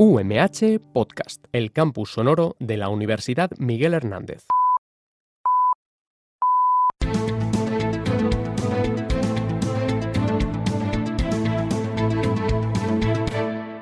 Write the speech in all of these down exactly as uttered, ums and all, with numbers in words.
U M H Podcast, el campus sonoro de la Universidad Miguel Hernández.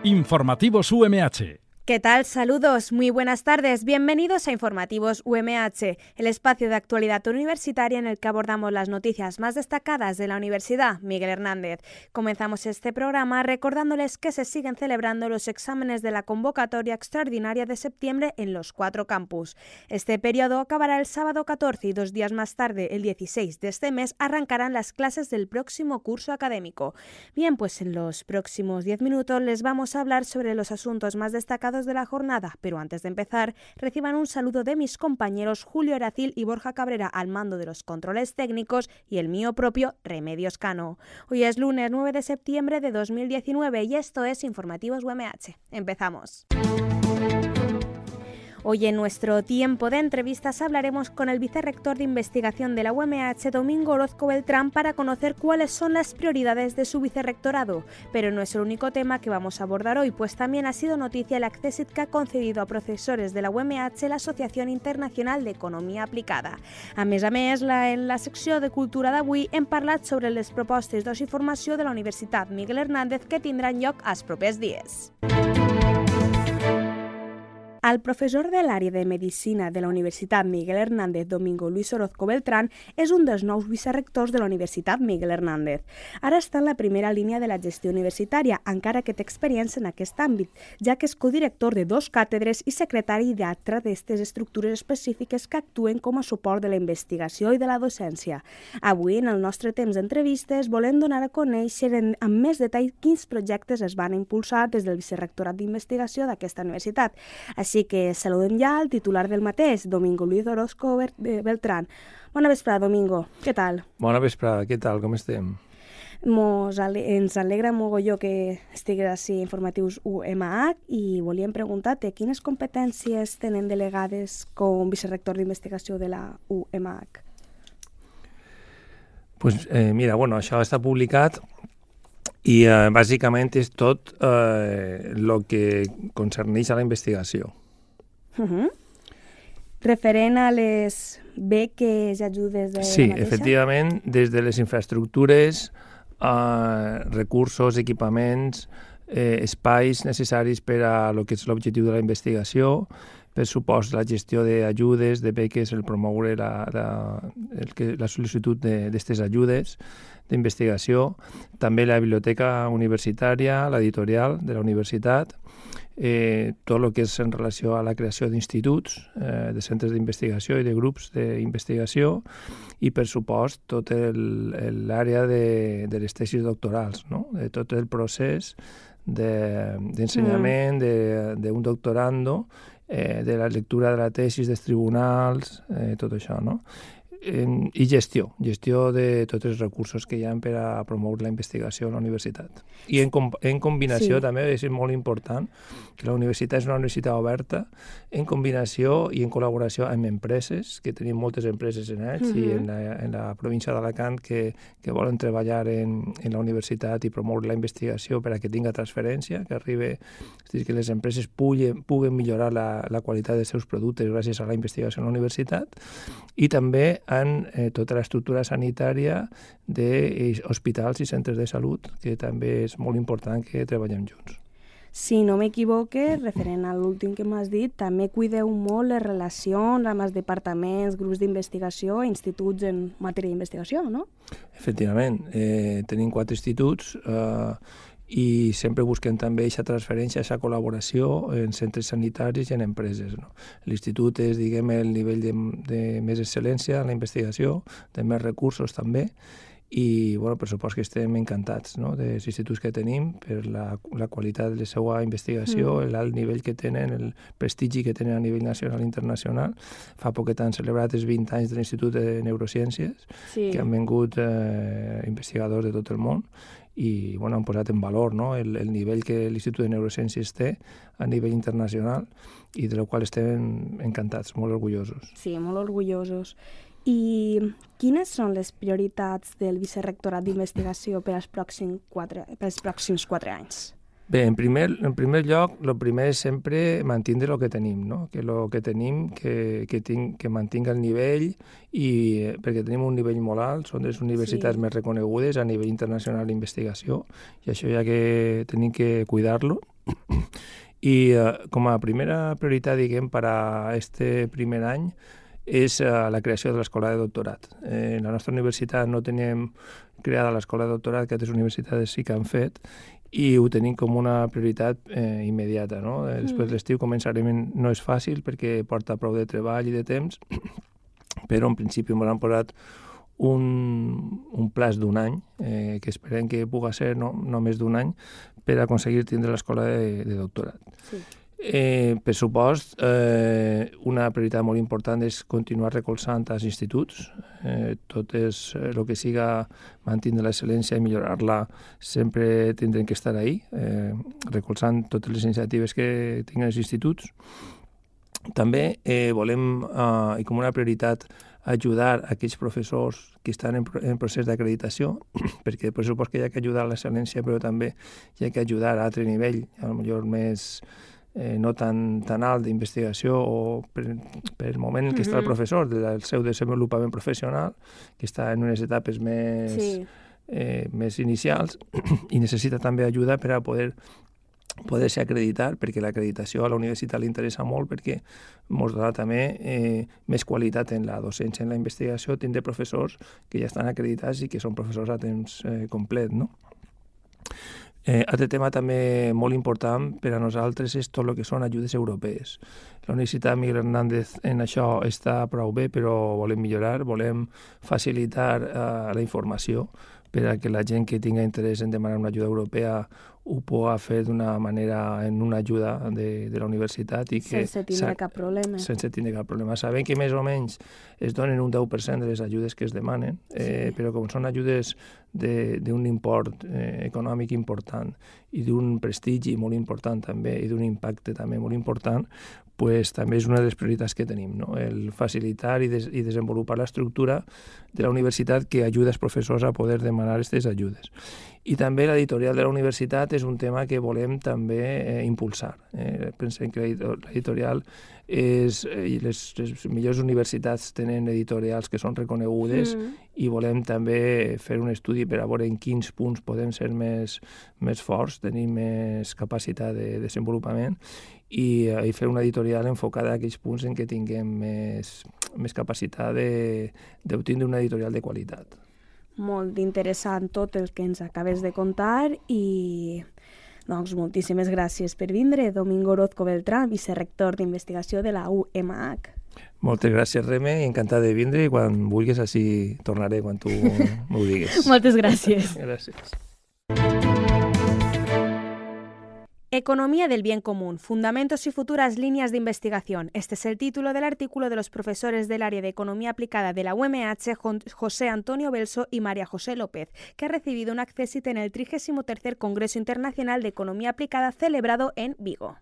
Informativos U M H. ¿Qué tal? Saludos, muy buenas tardes. Bienvenidos a Informativos U M H, el espacio de actualidad universitaria en el que abordamos las noticias más destacadas de la Universidad Miguel Hernández. Comenzamos este programa recordándoles que se siguen celebrando los exámenes de la convocatoria extraordinaria de septiembre en los cuatro campus. Este periodo acabará el sábado catorce y dos días más tarde, el dieciséis de este mes, arrancarán las clases del próximo curso académico. Bien, pues en los próximos diez minutos les vamos a hablar sobre los asuntos más destacados de la jornada, pero antes de empezar, reciban un saludo de mis compañeros Julio Eracil y Borja Cabrera al mando de los controles técnicos y el mío propio, Remedios Cano. Hoy es lunes nueve de septiembre de dos mil diecinueve y esto es Informativos U M H. Empezamos. Hoy en nuestro tiempo de entrevistas hablaremos con el vicerrector de investigación de la U M H, Domingo Orozco Beltrán, para conocer cuáles son las prioridades de su vicerrectorado. Pero no es el único tema que vamos a abordar hoy, pues también ha sido noticia el accèssit que ha concedido a profesores de la U M H la Asociación Internacional de Economia Aplicada. A més a més, la, en la secció de Cultura d'avui hem parlat sobre les propostes d'oci i formació de la Universitat Miguel Hernández que tindran lloc els propers dies. El professor de l'àrea de Medicina de la Universitat Miguel Hernández, Domingo Luis Orozco Beltrán, és un dels nous vicerrectors de la Universitat Miguel Hernández. Ara està en la primera línia de la gestió universitària, encara que té experiència en aquest àmbit, ja que és codirector de dos càtedres i secretari d'altra d'aquestes estructures específiques que actuen com a suport de la investigació i de la docència. Avui, en el nostre temps d'entrevistes, volem donar a conèixer en, amb més detall quins projectes es van impulsar des del vicerrectorat d'investigació d'aquesta universitat. Així que saludem ja al titular del mateix, Domingo Luis Orozco Beltrán. Bona vesprada, Domingo. Què tal? Bona vesprada, què tal? Com estem? Mos ale ens alegra mogolló que estigues així a Informatius U M H i volíem preguntar-te quines competències tenen delegades com vicerrector d'investigació de la U M H? Pues, eh, mira, bueno, això està publicat i eh, bàsicament és tot el eh, que concerneix a la investigació. Uh-huh. Referent a les beques i ajudes de sí, la mateixa? Efectivament, des de les infraestructures, eh, recursos, equipaments, eh, espais necessaris per a lo que és l'objectiu de la investigació, per supost la gestió d'ajudes, de beques, el promoure la, la, el que, la sol·licitud d'aquestes ajudes d'investigació, també la biblioteca universitària, l'editorial de la universitat, eh, tot el que és en relació a la creació d'instituts, eh, de centres d'investigació i de grups d'investigació i, per supost, tot l'àrea de, de les tesis doctorals, no? De tot el procés d'ensenyament de, d'un de doctorando, eh, de la lectura de la tesis dels tribunals, eh, tot això, no? I gestió, gestió de tots els recursos que hi ha per a promoure la investigació a la universitat. I en, com en combinació, sí. També és molt important que la universitat és una universitat oberta, en combinació i en col·laboració amb empreses, que tenim moltes empreses en ells, uh-huh. i en la, en la província d'Alacant que, que volen treballar en, en la universitat i promoure la investigació per a que tinga transferència, que arribi, és dir, que les empreses puguen, puguen millorar la, la qualitat dels seus productes gràcies a la investigació a la universitat, i també en eh, tota l'estructura sanitària d'hospitals i centres de salut, que també és molt important que treballem junts. Si no m'equivoque, referent a l'últim que m'has dit, també cuideu molt les relacions amb els departaments, grups d'investigació i instituts en matèria d'investigació, no? Efectivament. Eh, tenim quatre instituts eh, i sempre busquem també aquesta transferència, aquesta col·laboració en centres sanitaris i en empreses, no? L'institut és, diguem, el nivell de, de més excel·lència en la investigació, de més recursos també, i, bueno, per supost que estem encantats, no?, dels instituts que tenim per la, la qualitat de la seva investigació, mm. l'alt nivell que tenen, el prestigi que tenen a nivell nacional i internacional. Fa poquet han celebrat els vint anys de l'Institut de Neurociències, sí. que han vingut eh, investigadors de tot el món, i, bueno, han posat en valor, no?, el, el nivell que l'Institut de Neurociències té a nivell internacional i de la qual estem encantats, molt orgullosos. Sí, molt orgullosos. I quines són les prioritats del vicerrectorat d'investigació per als pròxims quatre, per als pròxims quatre anys? Bé, en primer, en primer lloc, el primer és sempre mantindre el que tenim, no? Que el que tenim, que, que, tinc, que mantinga el nivell, i perquè tenim un nivell molt alt, són les universitats sí. més reconegudes a nivell internacional d'investigació, i això ja que tenim que cuidar-lo. I eh, com a primera prioritat, diguem, per a este primer any, és uh, la creació de l'escola de doctorat. Eh, en la nostra universitat no tenim creada l'escola de doctorat, que altres universitats sí que han fet, i ho tenim com una prioritat eh, immediata. No? Mm. Després l'estiu començarem, no és fàcil perquè porta prou de treball i de temps, però en principi ens han posat un, un plaç d'un any, eh, que esperem que pugui ser no, no més d'un any, per aconseguir tindre l'escola de, de doctorat. Sí. Eh, per supost, eh, una prioritat molt important és continuar recolzant els instituts. Eh, tot és el eh, que siga mantenir l'excel·lència i millorar-la, sempre tindrem que estar ahí, eh, recolzant totes les iniciatives que tinguin els instituts. També eh, volem, eh, i com una prioritat, ajudar aquells professors que estan en, en procés d'acreditació, perquè per supost que hi ha que ajudar a l'excel·lència, però també hi ha que ajudar a altre nivell, a lo millor més Eh, no tan, tan alt d'investigació o per, per el moment en què mm-hmm. està el professor, del seu desenvolupament professional, que està en unes etapes més, sí. eh, més inicials, i necessita també ajuda per a poder poder-se acreditar, perquè l'acreditació a la universitat li interessa molt, perquè ens dona també eh, més qualitat en la docència, en la investigació, tindre professors que ja estan acreditats i que són professors a temps eh, complet, no? Eh, altre tema també molt important per a nosaltres és tot el que són ajudes europees. La Universitat Miguel Hernández en això està prou bé, però volem millorar, volem facilitar eh, la informació per a que la gent que tinga interès en demanar una ajuda europea ho pugui fer d'una manera, en una ajuda de, de la universitat. I que sense tindre cap problema. Sense tindre cap problema. Sabem que més o menys es donen un deu per cent de les ajudes que es demanen, eh, sí. però com són ajudes d'un import eh, econòmic important i d'un prestigi molt important també i d'un impacte també molt important, pues, també és una de les prioritats que tenim, no? El facilitar i, des, i desenvolupar l'estructura de la universitat que ajuda els professors a poder demanar aquestes ajudes. I també l'editorial de la universitat és un tema que volem també eh, impulsar. Eh? Pensem que l'editorial és... Eh, les, les millors universitats tenen editorials que són reconegudes mm. i volem també fer un estudi per a veure en quins punts podem ser més, més forts, tenir més capacitat de desenvolupament i, i fer una editorial enfocada a aquells punts en què tinguem més, més capacitat d'obtenir una editorial de qualitat. Molt interessant tot el que ens acabes de contar i doncs moltíssimes gràcies per vindre, Domingo Orozco Beltrán, vicerrector d'investigació de la U M H. Moltes gràcies, Reme, i encantat de vindre i quan vulguis així tornaré quan tu m'ho digues. Moltes gràcies. Gràcies. Economía del bien común, fundamentos y futuras líneas de investigación. Este es el título del artículo de los profesores del área de Economía Aplicada de la U M H, José Antonio Belso y María José López, que ha recibido un accésit en el trigésimo tercer Congreso Internacional de Economía Aplicada celebrado en Vigo.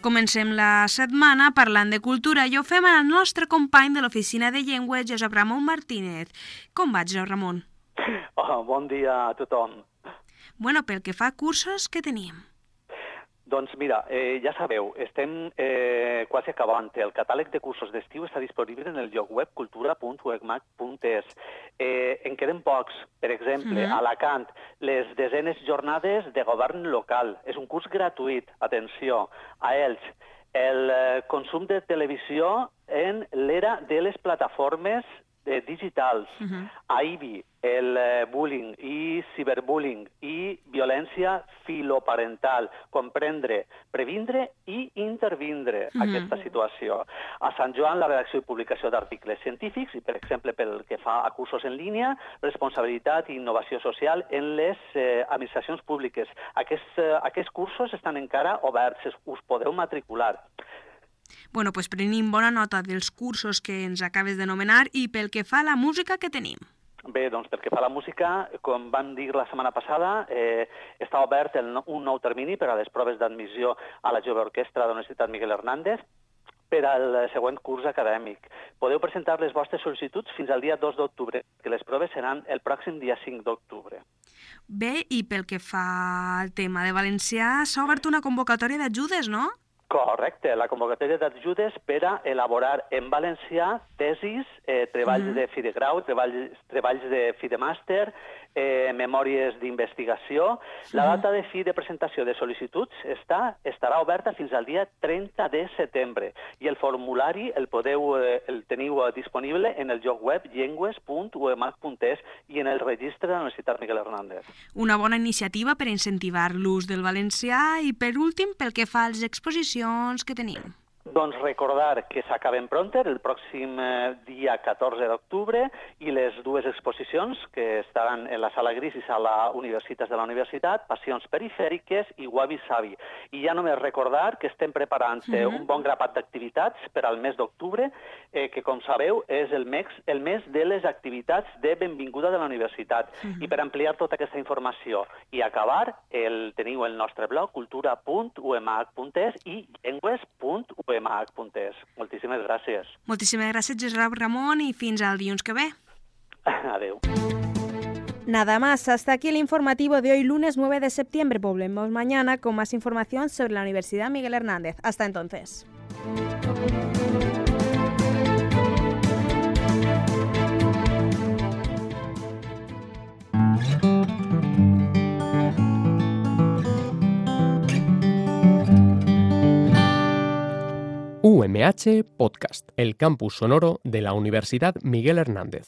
Comencem la setmana parlant de cultura i ho fem amb el nostre company de l'Oficina de Llengua, Josep Ramon Martínez. Com va, Josep Ramon? Oh, bon dia a tothom. Bueno, pel que fa a cursos, què tenim? Doncs mira, eh, ja sabeu, estem eh, quasi acabant. El catàleg de cursos d'estiu està disponible en el lloc web cultura punt u e c m a c punt e s. Eh, en queden pocs. Per exemple, mm-hmm. a Alacant, les desenes jornades de govern local. És un curs gratuït, atenció. A Elx, el eh, consum de televisió en l'era de les plataformes eh, digitals. Mm-hmm. A Ibi, el eh, bullying i ciberbullying i violència filoparental, comprendre, previndre i intervindre mm-hmm. aquesta situació. A Sant Joan, la redacció i publicació d'articles científics i, per exemple, pel que fa a cursos en línia, responsabilitat i innovació social en les eh, administracions públiques. Aquests, eh, aquests cursos estan encara oberts, us podeu matricular. Bueno, doncs prenim bona nota dels cursos que ens acabes d'anomenar i pel que fa a la música que tenim. Bé, doncs pel que fa a la música, com vam dir la setmana passada, eh, està obert el, un nou termini per a les proves d'admissió a la Jove Orquestra de la Universitat Miguel Hernández. per al següent curs acadèmic. Podeu presentar les vostres sol·licituds fins al dia dos d'octubre, que les proves seran el pròxim dia cinc d'octubre. Bé, i pel que fa al tema de valencià, s'ha obert una convocatòria d'ajudes, no? Correcte, la convocatòria d'ajudes per a elaborar en valencià tesis, eh, treballs uh -huh. de fi de grau, treballs, treballs de fi de màster, eh, memòries d'investigació. La data de fi de presentació de sol·licituds està, estarà oberta fins al dia trenta de setembre i el formulari el podeu eh, el teniu disponible en el lloc web llengües punt u m h punt es i en el registre de la Universitat Miguel Hernández. Una bona iniciativa per incentivar l'ús del valencià i, per últim, pel que fa a les exposicions que tenim. Doncs recordar que s'acaben pronter el pròxim eh, dia catorze d'octubre i les dues exposicions que estaran en la sala Gris i sala Universitats de la Universitat, Passions perifèriques i Wabi Sabi. I ja només recordar que estem preparant eh, uh -huh. un bon grapat d'activitats per al mes d'octubre, eh, que com sabeu és el mes, el mes de les activitats de benvinguda de la universitat. Uh -huh. I per ampliar tota aquesta informació i acabar, el, teniu el nostre blog cultura punt u m h punt es i llengües punt u m h punt es. Moltíssimes gràcies. Moltíssimes gràcies, Josep Ramon, y fins al dilluns que ve. Adeu. Nada más, hasta aquí el informativo de hoy, lunes nueve de septiembre. Volvemos mañana con más información sobre la Universidad Miguel Hernández. Hasta entonces. U M H Podcast, el campus sonoro de la Universidad Miguel Hernández.